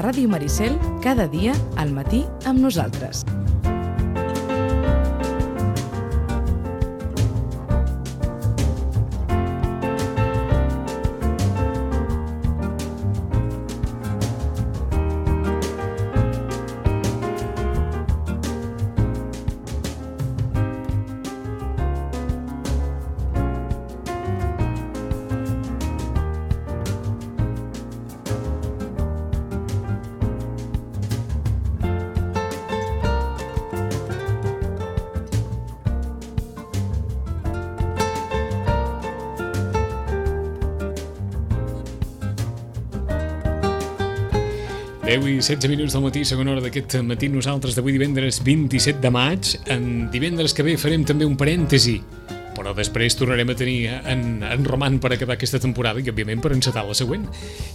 Ràdio Maricel, cada dia al matí amb nosaltres. I 16 minuts del matí, segona hora d'aquest matí, nosaltres d'avui divendres 27 de maig. En divendres que ve farem també un parèntesi, però després tornarem a tenir en Roman per acabar aquesta temporada i, òbviament, per encetar la següent.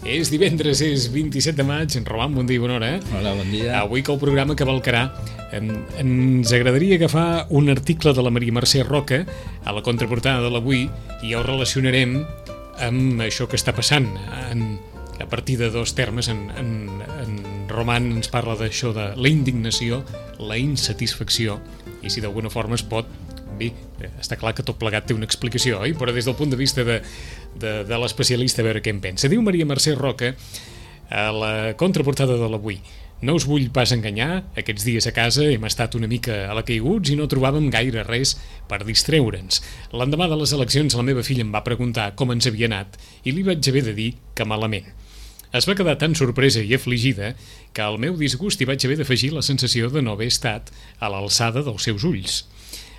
És divendres, és 27 de maig. En Roman, bon dia i bona hora. Hola, bon dia. Avui que el programa cavalcarà, ens agradaria agafar un article de la Maria Mercè Roca a la contraportada de l'Avui i el relacionarem amb això que està passant a partir de dos termes. En Roman ens parla d'això de la indignació, la insatisfacció, i si d'alguna forma es pot, bé, està clar que tot plegat té una explicació, oi? Però des del punt de vista de l'especialista, a veure què en pensa. Diu Maria Mercè Roca a la contraportada de l'Avui: no us vull pas enganyar, aquests dies a casa hem estat una mica a la caiguts i no trobàvem gaire res per distreure'ns. L'endemà de les eleccions la meva filla em va preguntar com ens havia anat i li vaig haver de dir que malament. Es va quedar tan sorpresa i afligida que al meu disgust hi vaig haver d'afegir la sensació de no haver estat a l'alçada dels seus ulls.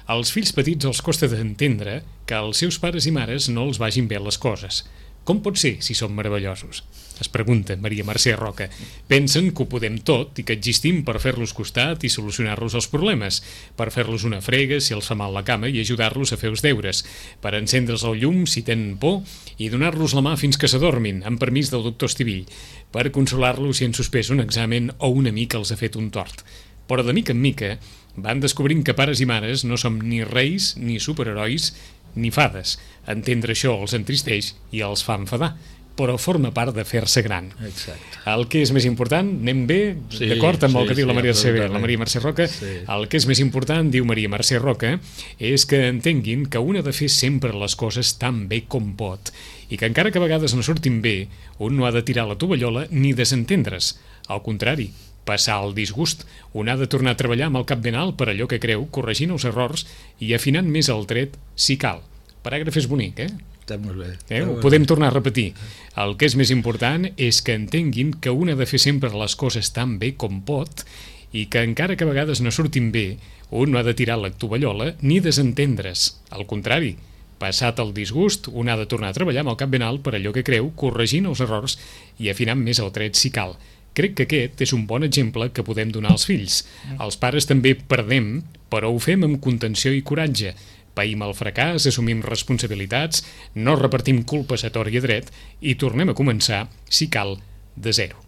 Als fills petits els costa d'entendre que als seus pares i mares no els vagin bé les coses. Com pot ser si som meravellosos? Es pregunta Maria Mercè Roca. Pensen que ho podem tot i que existim per fer-los costat i solucionar-los els problemes, per fer-los una frega si els fa mal la cama i ajudar-los a fer els deures, per encendre's el llum si tenen por i donar-los la mà fins que s'adormin, amb permís del doctor Estivill, per consolar-los si han suspès un examen o un amic els ha fet un tort. Però de mica en mica van descobrint que pares i mares no som ni reis, ni superherois, ni fades. Entendre això els entristeix i els fa enfadar, però forma part de fer-se gran. Exacte. El que és més important, anem bé, sí, d'acord amb el que diu la Maria Mercè Roca, sí. El que és més important, diu Maria Mercè Roca, és que entenguin que un ha de fer sempre les coses tan bé com pot i que encara que a vegades no surtin bé, un no ha de tirar la tovallola ni desentendre's. Al contrari, passar el disgust. Un ha de tornar a treballar amb el cap ben alt per allò que creu, corregint els errors i afinant més el tret si cal. Paràgraf és bonic, Està molt bé. Ho podem tornar a repetir. El que és més important és que entenguin que un ha de fer sempre les coses tan bé com pot i que encara que a vegades no surtin bé, un no ha de tirar la tovallola ni desentendre's. Al contrari, passat el disgust, un ha de tornar a treballar amb el cap ben alt per allò que creu, corregint els errors i afinant més el tret si cal. Crec que aquest és un bon exemple que podem donar als fills. Els pares també perdem, però ho fem amb contenció i coratge. Païm el fracàs, assumim responsabilitats, no repartim culpes a tort i a dret i tornem a començar, si cal, de zero.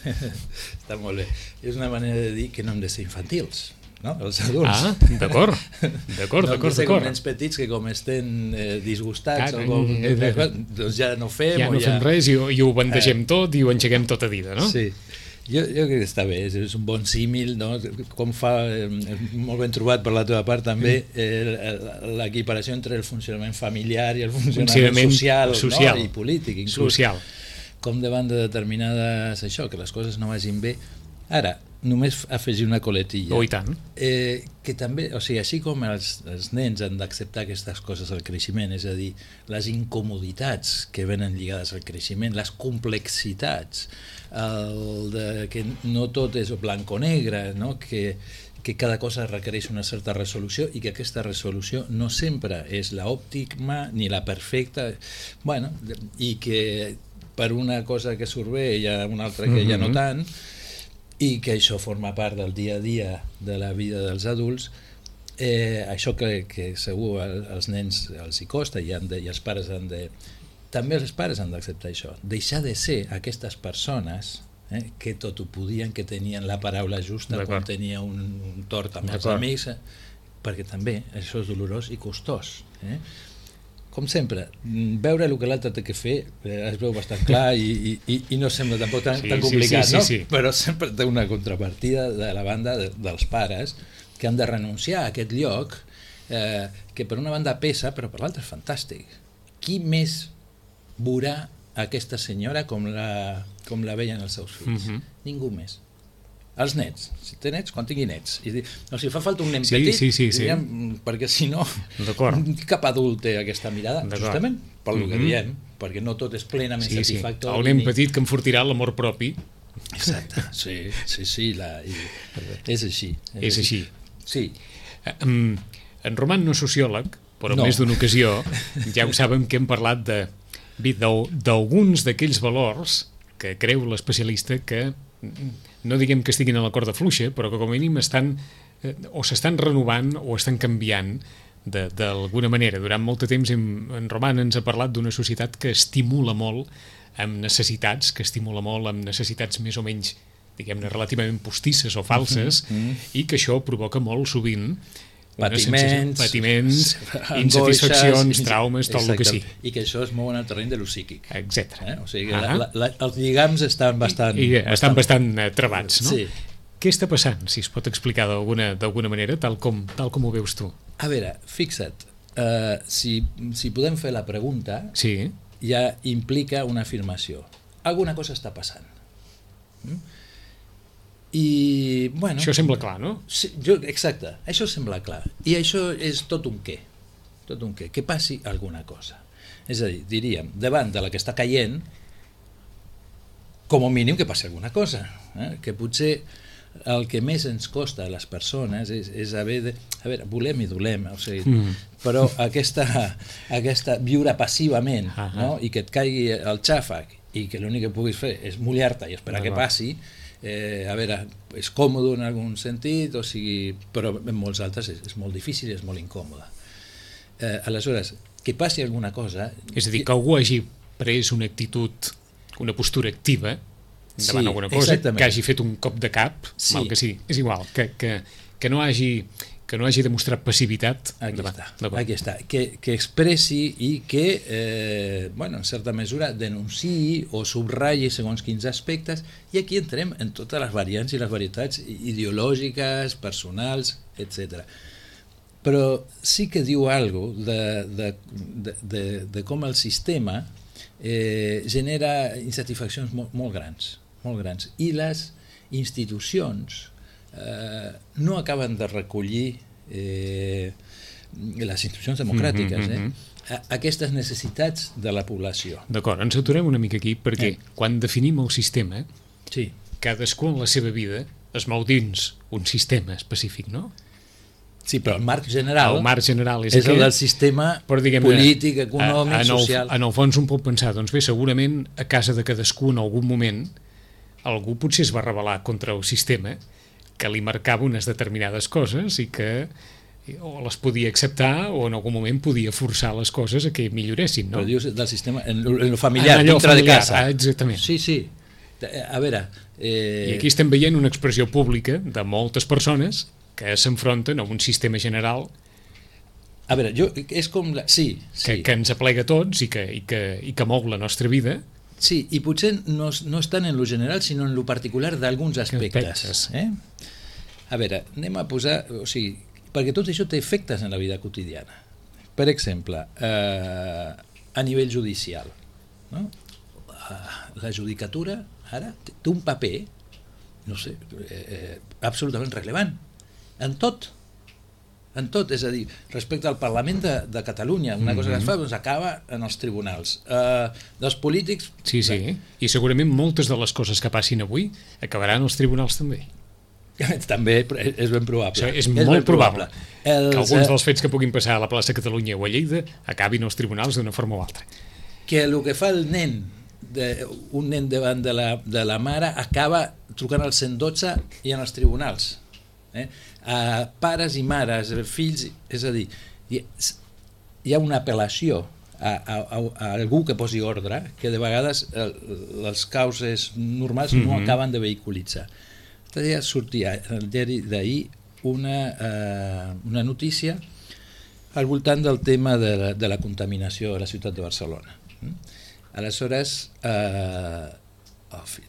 Està molt bé. És una manera de dir que no hem de ser infantils, no? Els adults. D'acord. No hem de ser com nens petits que com estem disgustats doncs ja no fem. Ja no fem res i ho bandegem tot i ho engeguem tot a dida, no? Sí. Jo crec que està bé, és un bon símil, no? Com fa, molt ben trobat per la teva part també, l'equiparació entre el funcionament familiar i el funcionament social. No? I polític inclús. Social. Com davant de determinades, això, que les coses no vagin bé. Ara, només afegir una coletilla. Oh, i tant. Que també, o sigui, així com els nens han d'acceptar aquestes coses al creixement, és a dir, les incomoditats que venen lligades al creixement, les complexitats, que no tot és blanc o negre, no? Que cada cosa requereix una certa resolució i que aquesta resolució no sempre és l'òptima ni la perfecta, bueno, i que per una cosa que surt bé hi ha una altra que ja no tant, i que això forma part del dia a dia de la vida dels adults. Això que segur als nens els hi costa i els pares han de... També els pares han d'acceptar això, deixar de ser aquestes persones que tot ho podien, que tenien la paraula justa quan tenia un tort amb els amics, perquè també això és dolorós i costós. com sempre, veure el que l'altre té que fer es veu bastant clar i no sembla tampoc tan complicat, no? Sí. Però sempre té una contrapartida de la banda dels pares que han de renunciar a aquest lloc que per una banda pesa però per l'altra és fantàstic. Qui més veurà aquesta senyora com la veien els seus fills? Ningú més. Els nets, si té nets, quan tingui nets. Si fa falta un nen petit, diguem, perquè si no, cap adult té aquesta mirada, justament pel que diem, perquè no tot és plenament satisfactori. El nen petit que enfortirà l'amor propi. Exacte, sí, és així. És així. Sí. En Roman no és sociòleg, però en més d'una ocasió ja ho saben que hem parlat d'alguns d'aquells valors que creu l'especialista que no diguem que estiguin a la corda fluixa, però que com a mínim s'estan renovant o estan canviant d'alguna manera. Durant molt de temps en Roman ens ha parlat d'una societat que estimula molt amb necessitats, més o menys, diguem-ne, relativament postisses o falses, i que això provoca molt sovint patiments, insatisfaccions, traumes, tot el que sí. I que això es mou en el terreny de lo psíquic. Etcètera. O sigui que els lligams estan bastant travats, no? Sí. Què està passant, si es pot explicar d'alguna manera, tal com ho veus tu? A veure, fixa't, si podem fer la pregunta, ja implica una afirmació. Alguna cosa està passant. I, bueno, això sembla clar, no? Sí, exacte, això sembla clar. I això és tot un què. Que passi alguna cosa. És a dir, diríem, davant de la que està caient, com a mínim que passi alguna cosa. Que potser el que més ens costa a les persones és haver de... A veure, volem i dolem, o sigui, però aquesta viure passivament, no? I que et caigui el xàfec i que l'únic que puguis fer és mullar-te i esperar que passi, a veure, és còmode en algun sentit, o sigui, però en molts altres és molt difícil i és molt incòmode. Aleshores, que passi alguna cosa... És a dir, que algú hagi pres una actitud, una postura activa davant alguna cosa, que hagi fet un cop de cap, mal que sí, és igual, que no hagi demostrat passivitat. Aquí està, que expressi i que, en certa mesura, denunciï o subratlli segons quins aspectes, i aquí entrem en totes les variants i les varietats ideològiques, personals, etc. Però sí que diu alguna cosa de com el sistema genera insatisfaccions molt grans, i les institucions no acaben de recollir les institucions democràtiques aquestes necessitats de la població. D'acord, ens aturem una mica aquí perquè quan definim el sistema, cadascú en la seva vida es mou dins un sistema específic, no? Sí, però el marc general, és el del sistema polític, econòmic, social. En el fons un pot pensar, doncs bé, segurament a casa de cadascú en algun moment algú potser es va rebel·lar contra el sistema que li marcava unes determinades coses i que o les podia acceptar o en algun moment podia forçar les coses a que milloressin, no? Però dius del sistema, en lo familiar, dintre de casa. Exactament. Sí. A veure... I aquí estem veient una expressió pública de moltes persones que s'enfronten a un sistema general a veure, és com... que ens aplega a tots i que mou la nostra vida. Sí, i potser no estan en lo general, sinó en lo particular d'alguns aspectes. A veure, anem a posar... O sigui, perquè tot això té efectes en la vida quotidiana. Per exemple, a nivell judicial, no? La judicatura ara té un paper, no sé, absolutament rellevant, en tot, és a dir, respecte al Parlament de Catalunya, una cosa que es fa doncs acaba en els tribunals. Dels polítics... Sí, i segurament moltes de les coses que passin avui acabaran als tribunals també. També és ben probable. És molt probable que alguns dels fets que puguin passar a la plaça Catalunya o a Lleida acabin als tribunals d'una forma o altra. Que el que fa el nen, un nen davant de la mare, acaba trucant al 112 i en els tribunals. A pares i mares, fills, és a dir, hi ha una apel·lació a algú que posi ordre que de vegades les causes normals no acaben de vehiculitzar. Sortia en el diari d'ahir una notícia al voltant del tema de la contaminació a la ciutat de Barcelona. Aleshores,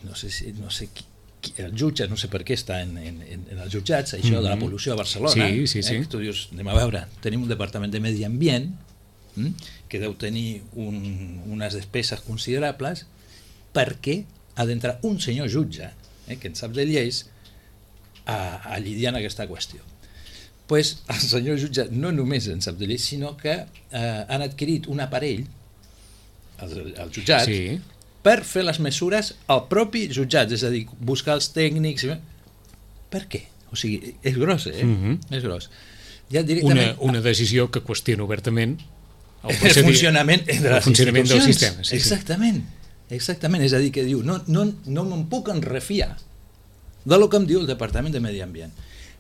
no sé el jutge, no sé per què està en els jutjats, això de la pol·lució a Barcelona. Sí. Tu dius, anem a veure, tenim un departament de medi ambient que deu tenir unes despeses considerables. Per què ha d'entrar un senyor jutge, que en sap de lleis, a lidiar en aquesta qüestió? Pues el senyor jutge no només en sap de lleis, sinó que han adquirit un aparell, els jutjats, per fer les mesures al propi jutjat, és a dir, buscar els tècnics. Per què? O sigui, és gros, és gros. Ja directament... Una decisió que qüestiona obertament el funcionament de les institucions. Del sistema. Exactament, és a dir, que diu, no me'n puc enrefiar del que em diu el Departament de Medi Ambient.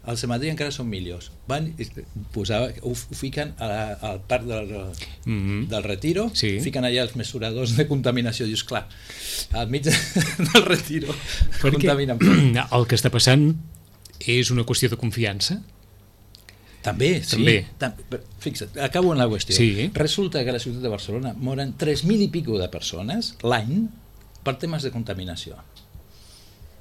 El cementiri encara són millors. Ho fiquen al parc del Retiro, fiquen allà els mesuradors de contaminació. Dius, clar, al mig del Retiro contaminen. El que està passant és una qüestió de confiança? També. Fixa't, acabo en la qüestió. Resulta que a la ciutat de Barcelona moren 3.000 i pico de persones l'any per temes de contaminació.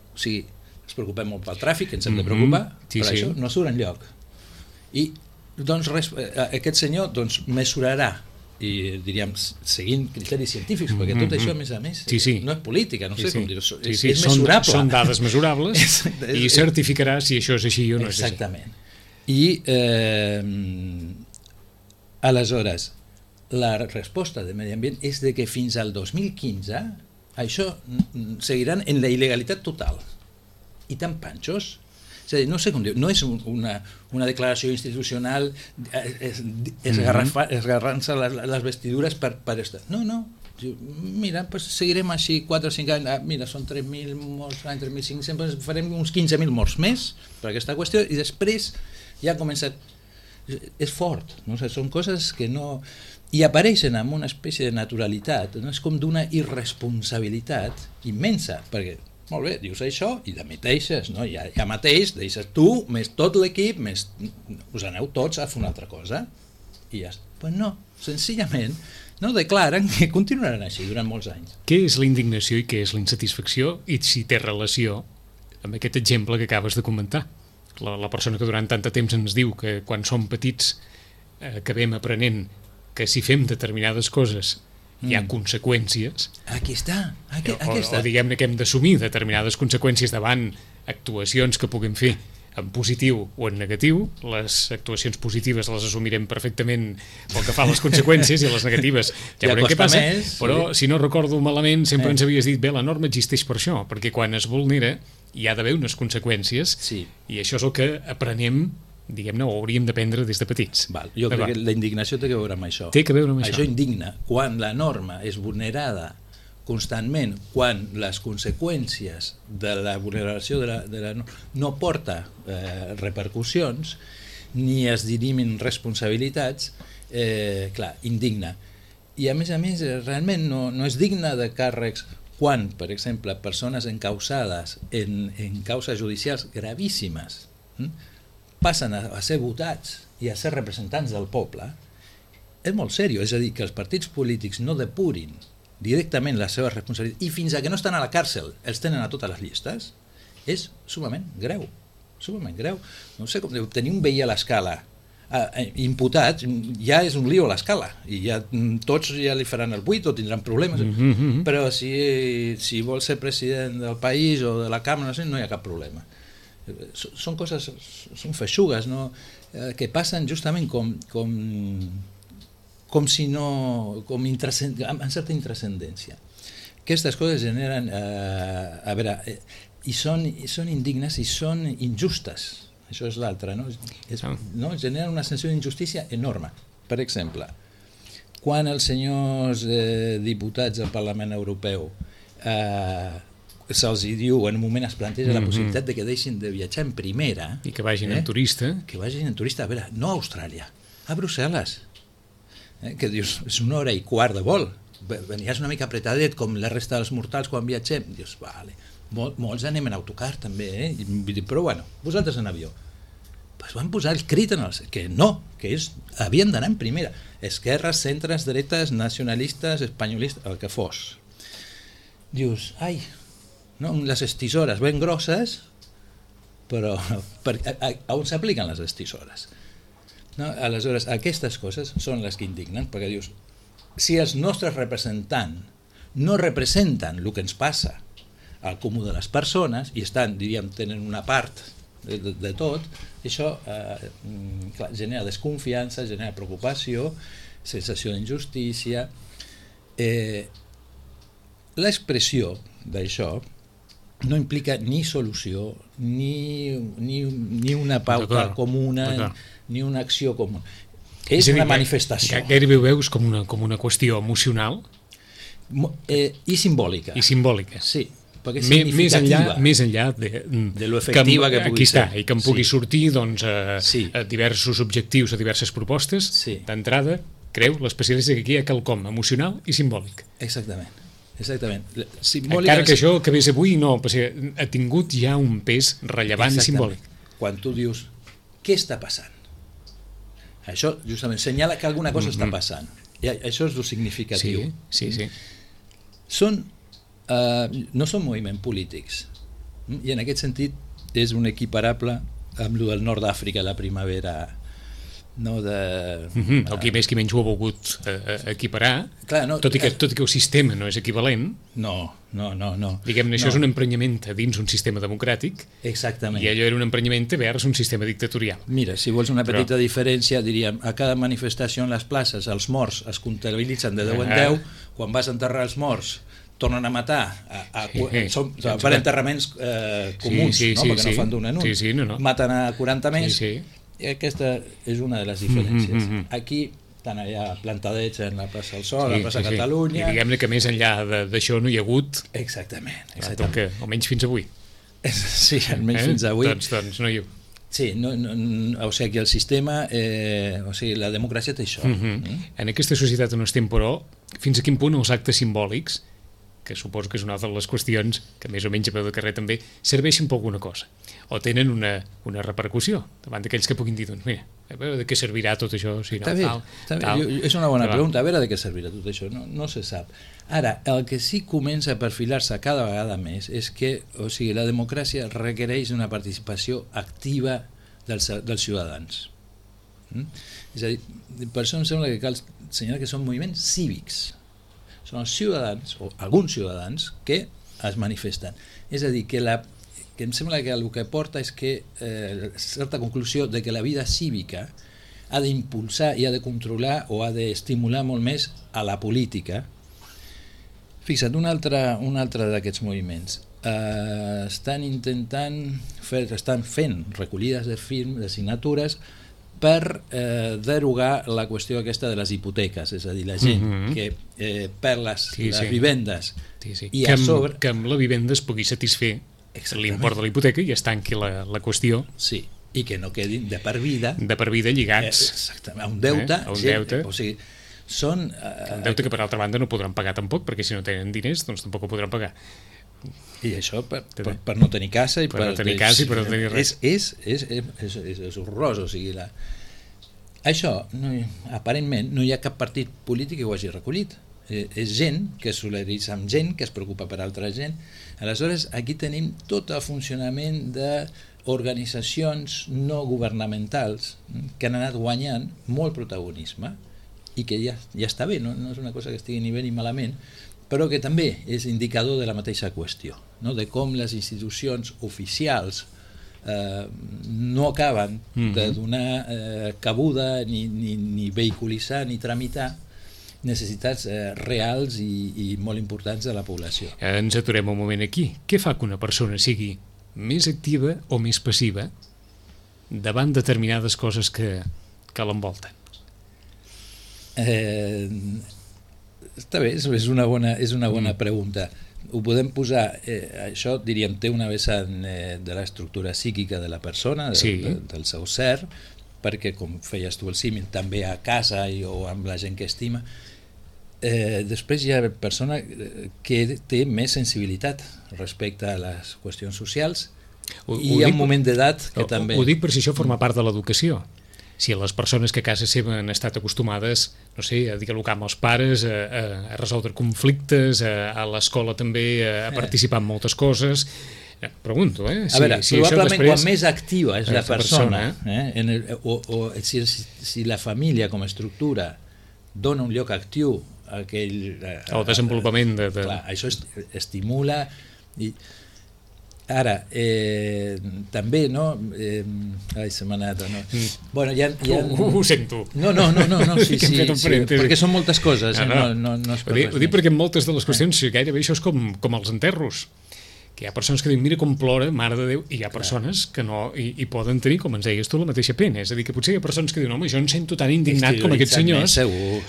O sigui, ens preocupem molt pel tràfic, ens hem de preocupar, però això no surt enlloc. I doncs aquest senyor mesurarà, i diríem seguint criteris científics, perquè tot això a més no és política, no sé com dir-ho, és mesurable. Són dades mesurables i certificarà si això és així o no és així. Exactament. I aleshores la resposta de Medi Ambient és de que fins al 2015 això seguiran en la il·legalitat total. I tan panxos, és a dir, no sé com dir, no és una declaració institucional esgarrant-se les vestidures per estar. No, mira, pues seguirem així 4 o 5 anys, mira, són 3.000 morts l'any, 3.500, farem uns 15.000 morts més per aquesta qüestió, i després ja ha començat, és fort, no? O sigui, són coses que no... I apareixen amb una espècie de naturalitat, no? És com d'una irresponsabilitat immensa, perquè molt bé, dius això i demiteixes, no? Ja mateix deixes tu, més tot l'equip, més us aneu tots a fer una altra cosa i ja està. Pues no, senzillament no declaren que continuaran així durant molts anys. Què és la indignació i què és la insatisfacció, i si té relació amb aquest exemple que acabes de comentar? La persona que durant tant de temps ens diu que quan som petits acabem aprenent que si fem determinades coses hi ha conseqüències. Aquí està. O diguem-ne que hem d'assumir determinades conseqüències davant actuacions que puguem fer en positiu o en negatiu. Les actuacions positives les assumirem perfectament pel que fa a les conseqüències, i les negatives ja veurem què passa, però si no recordo malament sempre ens havies dit, bé, la norma existeix per això, perquè quan es vulnera hi ha d'haver unes conseqüències, i això és el que aprenem, diguem-ne, o hauríem d'aprendre des de petits. Jo crec que la indignació té que veure amb això. Té que veure amb això. Això indigna quan la norma és vulnerada constantment, quan les conseqüències de la vulneració de la norma no porta repercussions ni es dirimin responsabilitats, clar, indigna. I a més, realment no és digne de càrrecs quan, per exemple, persones encausades en causes judicials gravíssimes passen a ser votats i a ser representants del poble. És molt seriós, és a dir, que els partits polítics no depurin directament la seva responsabilitat i fins a que no estan a la càrcel els tenen a totes les llistes, és sumament greu. No sé com diu, tenir un veí a l'escala imputat ja és un lío a l'escala i ja tots ja li faran el buit o tindran problemes, però si vol ser president del país o de la càmera no hi ha cap problema. Són coses, són feixugues, no? Que passen justament com si no, amb certa intrascendència. Aquestes coses generen, a veure, i són indignes i són injustes. Això és l'altre, no? Generen una sensació d'injustícia enorme. Per exemple, quan els senyors diputats del Parlament Europeu se'ls diu, en un moment es planteja la possibilitat de que deixin de viatjar en primera i que vagin en turista, a veure, no a Austràlia, a Brussel·les, que dius, és 1 hora i quart de vol, venies una mica apretadet com la resta dels mortals quan viatgem, dius, vale, molts anem en autocar també, però bueno, vosaltres en avió. pues van posar el crit en els... que no, que havien d'anar en primera. Esquerres, centres, dretes, nacionalistes, espanyolistes, el que fos. Dius, ai, no, les estisores ben grosses, però a on s'apliquen les estisores? No? Aleshores, aquestes coses són les que indignen, perquè dius, si els nostres representants no representen el que ens passa al comú de les persones i estan, diríem, tenen una part de tot, això clar, genera desconfiança, genera preocupació, sensació d'injustícia. L'expressió d'això no implica ni solució, ni una pauta comuna, ni una acció comuna. És una manifestació. Gairebé ho veus com una qüestió emocional i simbòlica. I simbòlica. Sí, perquè és significativa. Més enllà de lo efectiva que pugui ser. I que em pugui sortir doncs, a diversos objectius, a diverses propostes, d'entrada, creu l'especialista que aquí hi ha quelcom emocional i simbòlic. Exactament. Encara que això que ves avui no, perquè ha tingut ja un pes rellevant i simbòlic. Quan tu dius, què està passant? Això justament senyala que alguna cosa està passant. I això és el significatiu. Sí. No són moviments polítics. I en aquest sentit és un equiparable amb el del nord d'Àfrica, la primavera. El qui més qui menys ho ha volgut equiparar, tot i que el sistema no és equivalent. No. Diguem-ne, això és un emprenyament dins un sistema democràtic. Exactament. I allò era un emprenyament vers un sistema dictatorial. Mira, si vols una petita diferència, diríem, a cada manifestació en les places els morts es comptabilitzen de 10 en 10, quan vas a enterrar els morts tornen a matar per enterraments comuns, perquè no fan d'un en un, maten a 40 més. I aquesta és una de les diferències. Aquí, tant allà Plantadeig en la plaça del Sol, a la plaça Catalunya... I diguem-ne que més enllà d'això no hi ha hagut... Exactament. Almenys fins avui. Sí, almenys fins avui. Doncs no hi ha... Sí, o sigui que el sistema, la democràcia té això. En aquesta societat on estem, però, fins a quin punt els actes simbòlics, que suposo que és una altra de les qüestions que més o menys a peu de carrer també, serveixen per alguna cosa o tenen una repercussió davant d'aquells que puguin dir, doncs mira, a veure de què servirà tot això, si no, tal. És una bona pregunta, a veure de què servirà tot això, no se sap. Ara, el que sí comença a perfilar-se cada vegada més és que, la democràcia requereix una participació activa dels ciutadans. És a dir, per això em sembla que cal assenyalar que són moviments cívics. Són els ciutadans, o alguns ciutadans, que es manifesten. És a dir, que em sembla que el que porta és que certa conclusió de que la vida cívica ha d'impulsar i ha de controlar o ha d'estimular molt més a la política. Fixa't, un altre d'aquests moviments. Estan fent recollides de signatures per derogar la qüestió aquesta de les hipoteques, és a dir, la gent que perd les vivendes i a sobre... Que amb la vivenda es pugui satisfer l'import de la hipoteca i es tanqui la qüestió. Sí, i que no quedin de per vida lligats exactament, a un deute. O sigui, són... Un deute que per altra banda no podran pagar tampoc, perquè si no tenen diners doncs tampoc ho podran pagar. I això per no tenir casa i per no tenir casa i per no tenir res. És horrorós, o sigui, això, aparentment, no hi ha cap partit polític que ho hagi recollit. És gent que es solidaritza amb gent, que es preocupa per altra gent. Aleshores, aquí tenim tot el funcionament d'organitzacions no governamentals que han anat guanyant molt protagonisme i que ja està bé, no és una cosa que estigui ni bé ni malament, però que també és indicador de la mateixa qüestió, de com les institucions oficials no acaben de donar cabuda ni vehiculitzar ni tramitar necessitats reals i molt importants de la població. Ens aturem un moment aquí. Què fa que una persona sigui més activa o més passiva davant determinades coses que l'envolten? Està bé, és una bona pregunta. Ho podem posar, això diríem té una vessant de l'estructura psíquica de la persona, del seu ser, perquè com feies tu el símil també a casa o amb la gent que estima. Després hi ha persona que té més sensibilitat respecte a les qüestions socials I hi ha un moment d'edat que també... Ho dic per si això forma part de l'educació. Si les persones que a casa seva han estat acostumades, no sé, a dialogar amb els pares, a resoldre conflictes, a l'escola també a participar en moltes coses... Pregunto, a veure, probablement després... quan més activa és la persona, si la família com a estructura dona un lloc actiu a aquell... El desenvolupament de... Clar, això estimula... Ara, també, no? Ai, se m'ha anat, no? Bueno, ho sento. No, sí, perquè són moltes coses. No és per res. Ho dic perquè en moltes de les qüestions gairebé això és com els enterros. Que hi ha persones que diuen, mira com plora, mare de Déu, i hi ha persones que no hi poden tenir, com ens deies tu, la mateixa pena. És a dir, que potser hi ha persones que diuen, home, jo em sento tan indignat com aquests senyors,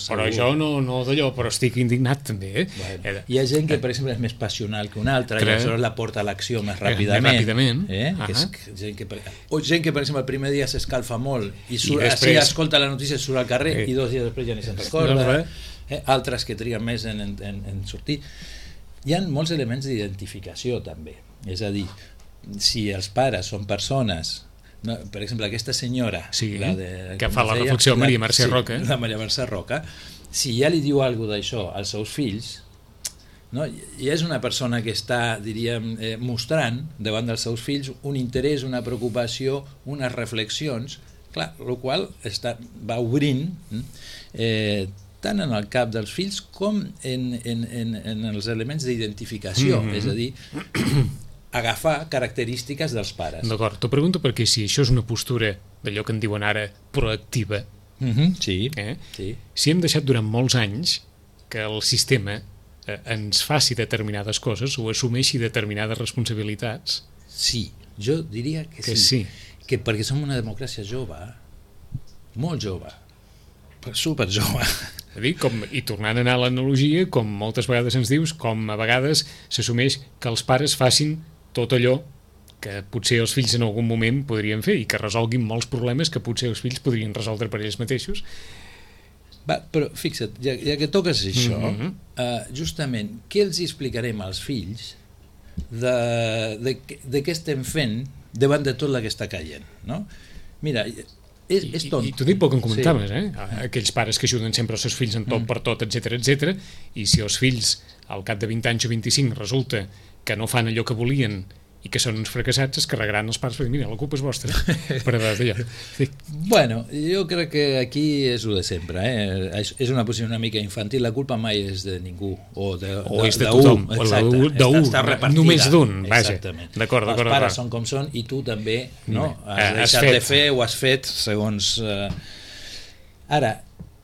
però jo no d'allò, però estic indignat també. Bueno, hi ha gent que, per exemple, és més passional que una altra, i aleshores la porta a l'acció més ràpidament. O gent que, per exemple, el primer dia s'escalfa molt i així escolta la notícia, surt al carrer i 2 dies després ja ni se'n recorda. Altres que triguen més en sortir. Hi ha molts elements d'identificació també, és a dir, si els pares són persones, no, per exemple aquesta senyora que fa la reflexió Maria Mercè Roca, la Maria Mercè Roca, si ja li diu alguna d'això als seus fills, no, ja és una persona que està, diríem, mostrant davant dels seus fills un interès, una preocupació, unes reflexions, clar, el qual va obrint tant en el cap dels fills com en els elements d'identificació, és a dir, agafar característiques dels pares. D'acord, t'ho pregunto perquè si això és una postura d'allò que en diuen ara proactiva, si hem deixat durant molts anys que el sistema ens faci determinades coses o assumeixi determinades responsabilitats... Sí, jo diria que sí. Que perquè som una democràcia jove, molt jove, super jove. I tornant a anar a l'analogia, com moltes vegades ens dius, com a vegades s'assumeix que els pares facin tot allò que potser els fills en algun moment podrien fer i que resolguin molts problemes que potser els fills podrien resoldre per ells mateixos. Però fixa't, ja que toques això, justament, què els explicarem als fills de què estem fent davant de tot el que està caient, no? Mira, és tont. I t'ho dic pel que em comentaves, aquells pares que ajuden sempre els seus fills en tot per tot, etc, i si els fills al cap de 20 anys o 25 resulta que no fan allò que volien i que són uns fracassats, es carregaran els pares per dir, mira, la culpa és vostra. Bueno, jo crec que aquí és el de sempre, és una posició una mica infantil, la culpa mai és de ningú, o és de tothom, només d'un, vaja. D'acord. Els pares són com són i tu també has deixat de fer o has fet segons... Ara,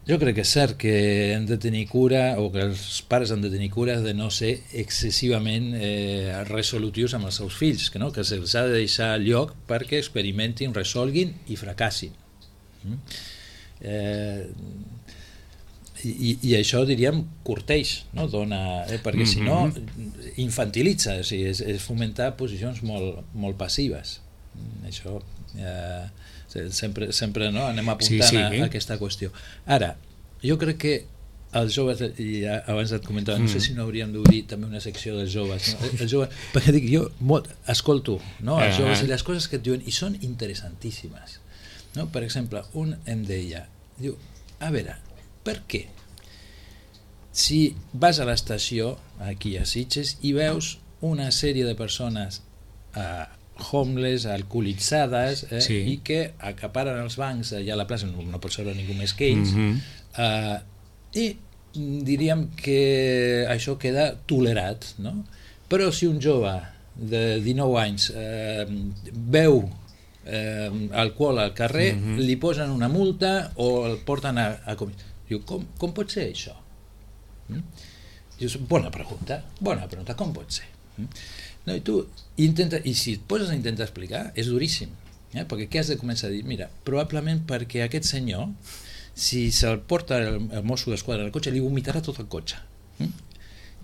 jo crec que és cert que hem de tenir cura, o que els pares han de tenir cura de no ser excessivament resolutius amb els seus fills, que se'ls ha de deixar lloc perquè experimentin, resolguin i fracassin. I això, diríem, corteix, no? Perquè si no infantilitza, és fomentar posicions molt passives. Això... sempre anem apuntant a aquesta qüestió. Ara, jo crec que els joves, i abans et comentava, no sé si no hauríem d'obrir també una secció dels joves, perquè dic, jo escolto els joves i les coses que et diuen i són interessantíssimes. Per exemple, un em deia, diu, a veure, per què si vas a l'estació aquí a Sitges i veus una sèrie de persones homeless, alcoholitzades, i que acaparen els bancs allà a la plaça, no pot ser ningú més que ells, i diríem que això queda tolerat, no? Però si un jove de 19 anys beu alcohol al carrer, li posen una multa o el porten a comissió. Diu, com pot ser això? Dius, bona pregunta, com pot ser? No, i si et poses a intentar explicar, és duríssim, perquè què has de començar a dir? Mira, probablement perquè aquest senyor, si se'l porta el mosso d'esquadra al cotxe, li vomitarà tot el cotxe.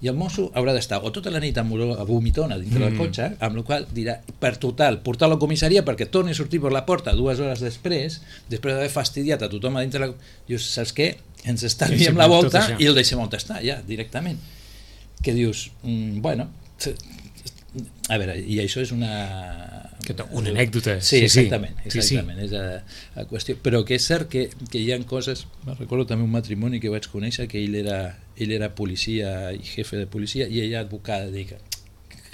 I el mosso haurà d'estar o tota la nit amb vomitona dintre del cotxe, amb la qual dirà, per total, portar-lo a la comissaria perquè torni a sortir per la porta 2 hores després d'haver fastidiat a tothom a dintre dius, saps què? Ens estalviem la volta i el deixem on està, ja, directament. Que dius, bueno... a veure, i això és una anècdota. Sí, exactament. És la qüestió. Però que és cert que hi ha coses... Me recordo també un matrimoni que vaig conèixer, que ell era policia i jefe de policia, i ella advocada. Dic,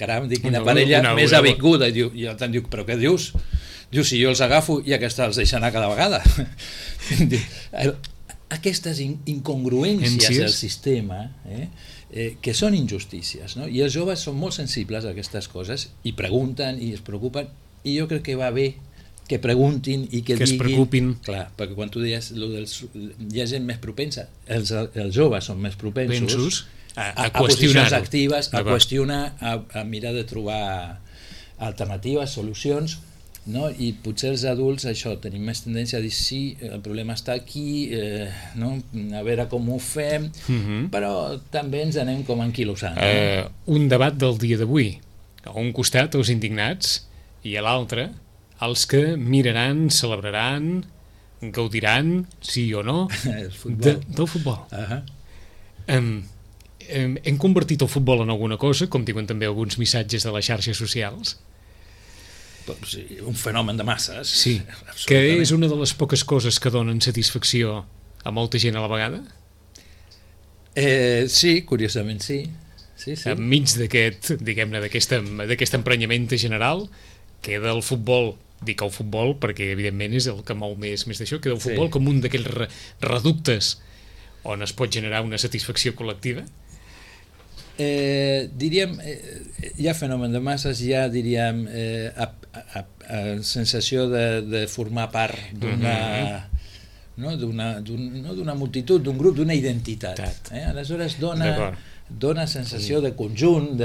caram, quina parella més avinguda. I el tant diu, però què dius? Diu, si jo els agafo i aquesta els deixa anar cada vegada. Aquestes incongruències del sistema, que són injustícies, no? I els joves són molt sensibles a aquestes coses i pregunten i es preocupen, i jo crec que va bé que preguntin i que diguin... es preocupin. Clar, perquè quan tu deies hi ha gent més propensa, els joves són més propensos a posicions actives, a qüestionar, a mirar de trobar alternatives, solucions, no? I potser els adults això tenim més tendència a dir sí, el problema està aquí, no? A veure com ho fem, però també ens anem com enquilosant. Un debat del dia d'avui, a un costat els indignats i a l'altre els que miraran, celebraran, gaudiran, sí o no, del futbol. Hem convertit el futbol en alguna cosa, com diuen també alguns missatges de les xarxes socials? Sí, un fenomen de masses. Sí, que és una de les poques coses que donen satisfacció a molta gent a la vegada? Sí, curiosament sí. Enmig d'aquest, diguem-ne, d'aquest emprenyament general, queda el futbol, dic el futbol perquè evidentment és el que mou més d'això, queda el futbol com un d'aquells reductes on es pot generar una satisfacció col·lectiva? Diríem, hi ha fenomen de masses, hi ha, diríem, sensació de formar part d'una multitud, d'un grup, d'una identitat. Aleshores dona sensació de conjunt,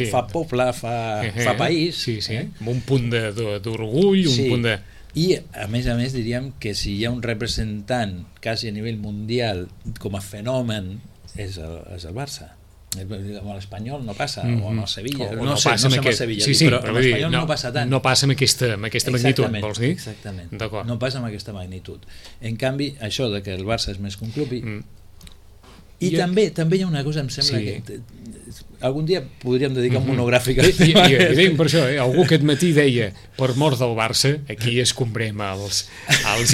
fa poble, fa país. Amb un punt d'orgull, un punt de... I, a més, diríem que si hi ha un representant quasi a nivell mundial com a fenomen és el Barça. Amb l'Espanyol no passa, o amb el Sevilla, no sé amb el Sevilla, però amb l'Espanyol no passa tant. No passa amb aquesta magnitud, vols dir? Exactament, no passa amb aquesta magnitud. En canvi, això de que el Barça és més que un club... I també hi ha una cosa, em sembla que algun dia podríem dedicar un monogràfic a I deim per això, algú aquest matí deia per mort del Barça, aquí escombrem els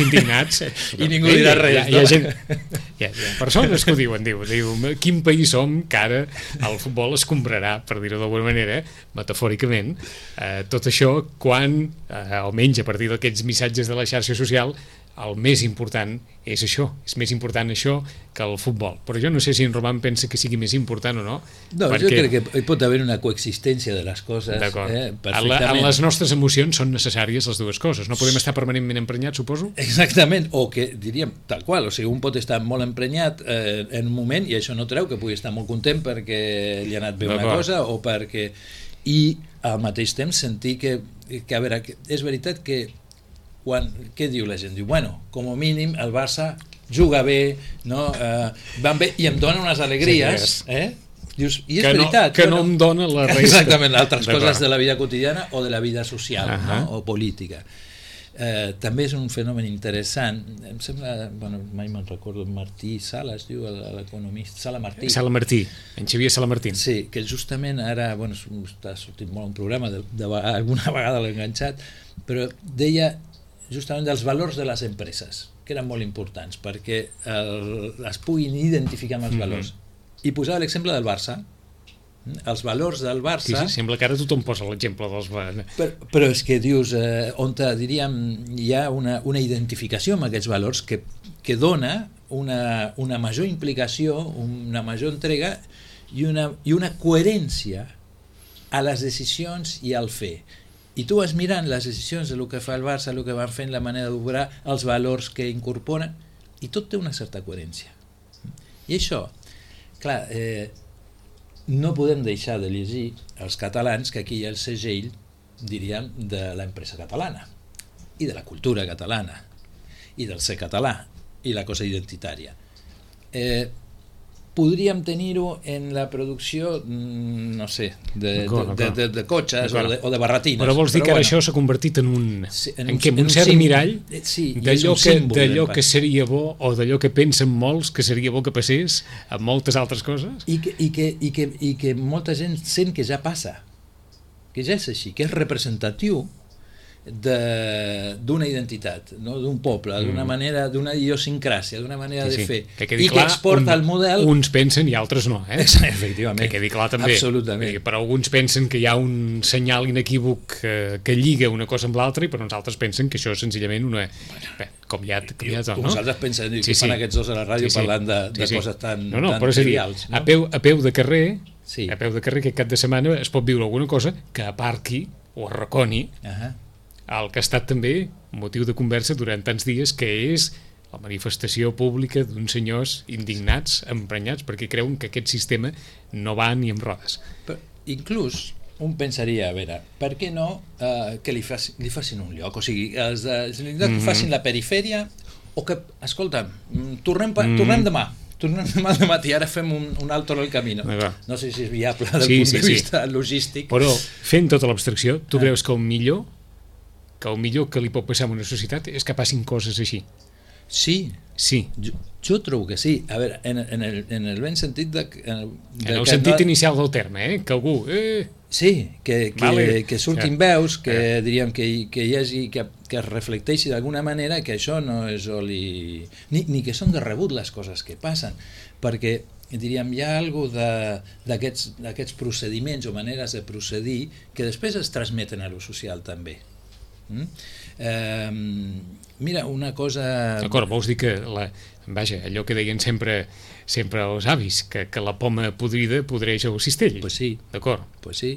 indignats i ningú dirà res. Hi ha persones que ho diuen, diu quin país som que ara el futbol escombrarà, per dir-ho d'alguna manera, metafòricament, tot això quan, almenys a partir d'aquests missatges de la xarxa social, el més important és això, és més important això que el futbol. Però jo no sé si en Roman pensa que sigui més important o no. No, perquè... jo crec que hi pot haver una coexistència de les coses. D'acord. En les nostres emocions són necessàries les dues coses. No podem estar permanentment emprenyats, suposo? Exactament, o que diríem tal qual, o sigui, un pot estar molt emprenyat en un moment i això no treu que pugui estar molt content perquè li ha anat bé una cosa o perquè... I al mateix temps sentir que a veure, és veritat que què diu la gent? Diu, bueno, com a mínim el Barça juga bé, no? Van bé i em dona unes alegries, Dius, i és veritat. Que no em dona la resta. Exactament, altres coses de la vida quotidiana o de la vida social, no? O política. També és un fenomen interessant, em sembla, bueno, mai me'n recordo, Martí Sala es diu, l'economista, Sala Martí, en Xavier Sala Martín. Sí, que justament ara, bueno, està sortint molt un programa, alguna vegada l'he enganxat, però deia justament dels valors de les empreses, que eren molt importants, perquè es puguin identificar amb els valors. I posava l'exemple del Barça. Els valors del Barça... Sí, sembla que ara tothom posa l'exemple dels... Però és que dius, on diríem hi ha una identificació amb aquests valors que dona una major implicació, una major entrega i una coherència a les decisions i al fer. I tu vas mirant les decisions del que fa el Barça, el que van fent, la manera d'obrar, els valors que incorporen, i tot té una certa coherència. I això, clar, no podem deixar de llegir els catalans que aquí hi ha el segell, diríem, de l'empresa catalana, i de la cultura catalana, i del ser català, i la cosa identitària. Podríem tenir-ho en la producció, no sé, de cotxes o de barretines. Però vols dir que ara això s'ha convertit en un cert mirall d'allò que seria bo o d'allò que pensen molts que seria bo que passés amb moltes altres coses? I que molta gent sent que ja passa. que ja és així, que és representatiu d'una identitat, no? D'un poble, d'una manera, d'una idiosincràsia, d'una manera de fer, que i que exporta el model... Uns pensen i altres no, Efectivament. Que quedi clar també. Absolutament. Per alguns pensen que hi ha un senyal inequívoc que lliga una cosa amb l'altra i per uns altres pensen que això és senzillament una... Bé, com ja tot, no? Nosaltres pensem que fan aquests dos a la ràdio parlant de coses tan trivials. No? A peu de carrer, a peu de carrer, aquest cap de setmana es pot viure alguna cosa que aparqui o arraconi el que ha estat també motiu de conversa durant tants dies, que és la manifestació pública d'uns senyors indignats, emprenyats, perquè creuen que aquest sistema no va ni amb rodes. Però inclús un pensaria, a veure, per què no que li facin un lloc? O sigui, que facin la perifèria o que, escolta'm, tornem demà. Tornem demà al matí, ara fem un alto en el camí. No sé si és viable del punt de vista logístic. Però fent tota l'abstracció, tu creus que el millor que li pot passar a una societat és que passin coses així? Sí. Jo trobo que sí. A veure, en el ben sentit en el sentit inicial del terme, que algú... Sí, que surtin veus, que diríem que hi hagi, que es reflecteixi d'alguna manera que això no és oli... Ni que són de rebut les coses que passen, perquè diríem, hi ha alguna cosa d'aquests procediments o maneres de procedir que després es transmeten a lo social també. Mira, una cosa... D'acord, vols dir que allò que deien sempre els avis, que la poma podrida podreix el cistell. Pues sí. D'acord. Pues sí.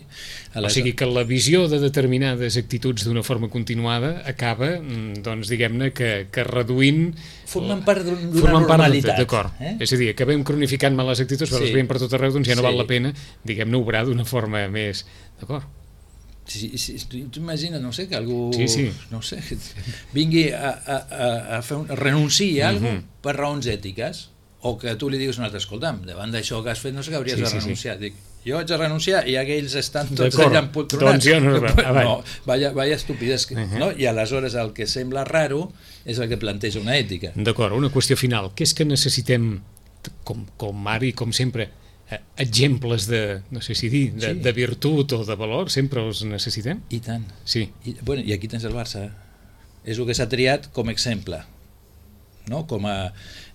O sigui que la visió de determinades actituds d'una forma continuada acaba, doncs, diguem-ne, que reduint... Formant part d'una normalitat. D'acord. És a dir, acabem cronificant males actituds, però les veiem per tot arreu, doncs ja no val la pena, diguem-ne, obrar d'una forma més... D'acord. Tu imagina, no sé, que algú no sé, vingui a renunciar a alguna cosa per raons ètiques, o que tu li diguis un altre, escolta'm, davant d'això que has fet no sé que hauries de renunciar. Dic, jo haig de renunciar i aquells estan tots allà empoltronats. Doncs jo no, vaya estupidesa, no? I aleshores el que sembla raro és el que planteja una ètica. D'acord, una qüestió final. Què és que necessitem, com ara i com sempre, exemples de, no sé si dir, de virtut o de valor, sempre els necessitem? I tant. Sí. I aquí tens el Barça. És el que s'ha triat com a exemple. No?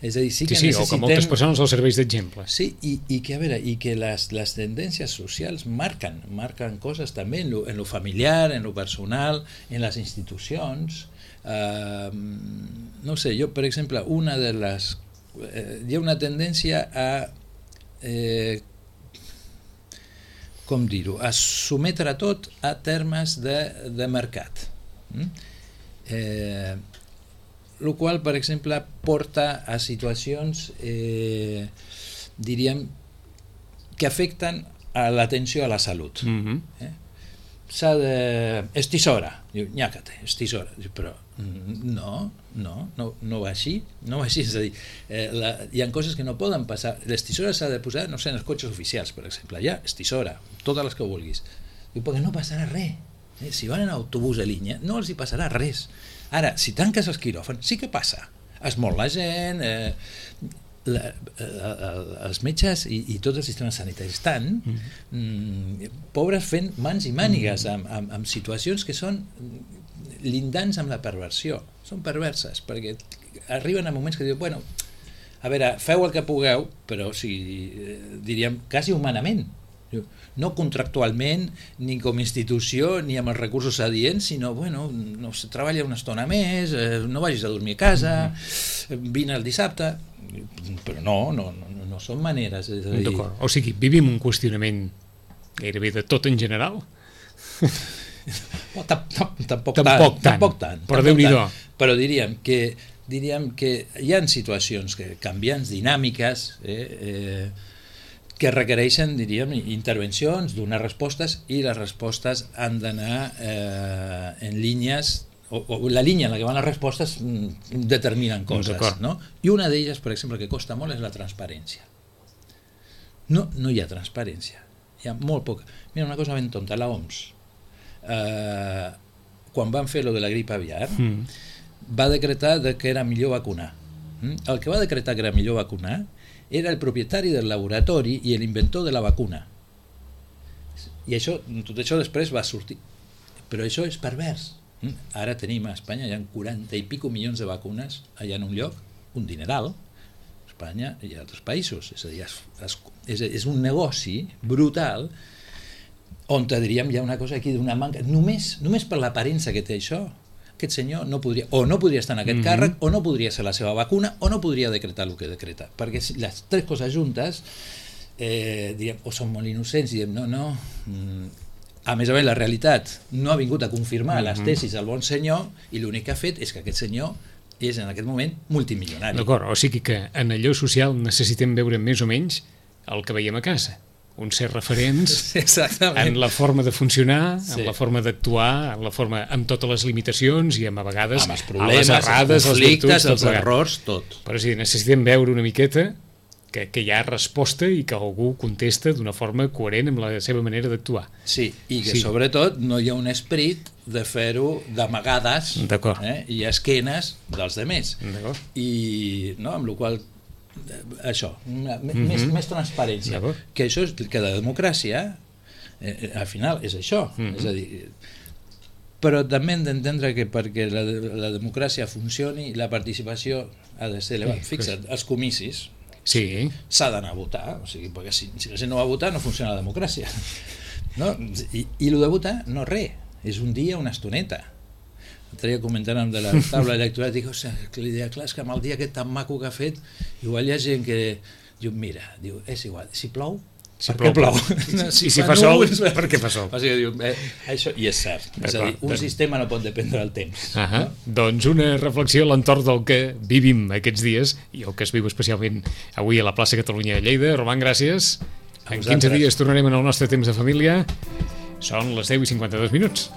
És a dir, sí que necessitem... o que moltes persones els serveix d'exemple. Sí, i que, a veure, i que les tendències socials marquen coses també en lo familiar, en lo personal, en les institucions. No sé, jo, per exemple, hi ha una tendència a com dir-ho, a sometre tot a termes de mercat, el qual, per exemple, porta a situacions diríem que afecten a l'atenció a la salut. S'ha de... És tisora. Diu, nyàcate, és tisora. Diu, però no va així. No va així, és a dir, hi ha coses que no poden passar. Les tisores s'ha de posar, no sé, en els cotxes oficials, per exemple. Ja, és tisora, totes les que vulguis. Diu, perquè no passarà res. Si van en autobús de línia, no els hi passarà res. Ara, si tanques els quiròfans, sí que passa. Es mor la gent... els metges i tots els sistemes sanitaris estan pobres fent mans i mànigues amb situacions que són lindants amb la perversió, són perverses perquè arriben a moments que diuen, bueno, a veure, feu el que pugueu, però diríem quasi humanament, no contractualment ni com a institució ni amb els recursos adients, sinó bueno, no sé, treballa una estona més, no vagis a dormir a casa, vine el dissabte, però no són maneres. D'acord, o sigui, vivim un qüestionament gairebé de tot en general? Tampoc tant, però Déu-n'hi-do. Però diríem que hi ha situacions canviants, dinàmiques, que requereixen, diríem, intervencions, donar respostes, i les respostes han d'anar en línies, o la línia en la que van les respostes determinen coses, no? I una d'elles, per exemple, que costa molt és la transparència. No hi ha transparència, hi ha molt poca. Mira, una cosa ben tonta, la OMS, quan van fer lo de la grip aviar, va decretar que era millor vacunar. El que va decretar que era millor vacunar era el propietari del laboratori i l'inventor de la vacuna. I tot això després va sortir. Però això és pervers. Ara tenim a Espanya, hi ha 40 i pico milions de vacunes allà en un lloc, un dineral, Espanya i altres països. És a dir, és un negoci brutal on diríem hi ha una cosa aquí d'una manca, només per l'aparença que té això, aquest senyor no podria estar en aquest càrrec, o no podria ser la seva vacuna, o no podria decretar el que decreta, perquè les tres coses juntes diríem, o són molt innocents, diem no, a més la realitat no ha vingut a confirmar les tesis del bon senyor, i l'únic que ha fet és que aquest senyor és en aquest moment multimilionari. D'acord, o sigui que en allò social necessitem veure més o menys el que veiem a casa, ser referents en la forma de funcionar, en la forma d'actuar, amb totes les limitacions i a vegades amb els problemes, les errades, els conflictes, els errors, tot. Però sí, necessitem veure una miqueta que hi ha resposta i que algú contesta d'una forma coherent amb la seva manera d'actuar. Sí, i que sobretot no hi ha un esperit de fer-ho d'amagades i esquenes dels demés. I amb la qual això, més transparència, que això és que la democràcia al final és això, és a dir, però també hem d'entendre que perquè la democràcia funcioni la participació ha de ser elevada. Fixa't, els comicis s'ha d'anar a votar, o sigui, perquè si la gent no va a votar no funciona la democràcia, i el de votar no res, és un dia, una estoneta. L'altre dia comentant de la taula electoral, dic, clar, és que amb el dia aquest tan maco que ha fet, igual hi ha gent que diu, mira, és igual, si plou, per què plou? Si fa sol, per què fa sol? O sigui, això, i és cert, és a dir, un sistema no pot dependre del temps. Doncs una reflexió a l'entorn del que vivim aquests dies, i el que es viu especialment avui a la plaça Catalunya de Lleida. Roman, gràcies. En 15 dies tornarem en el nostre temps de família. Són les 10:52.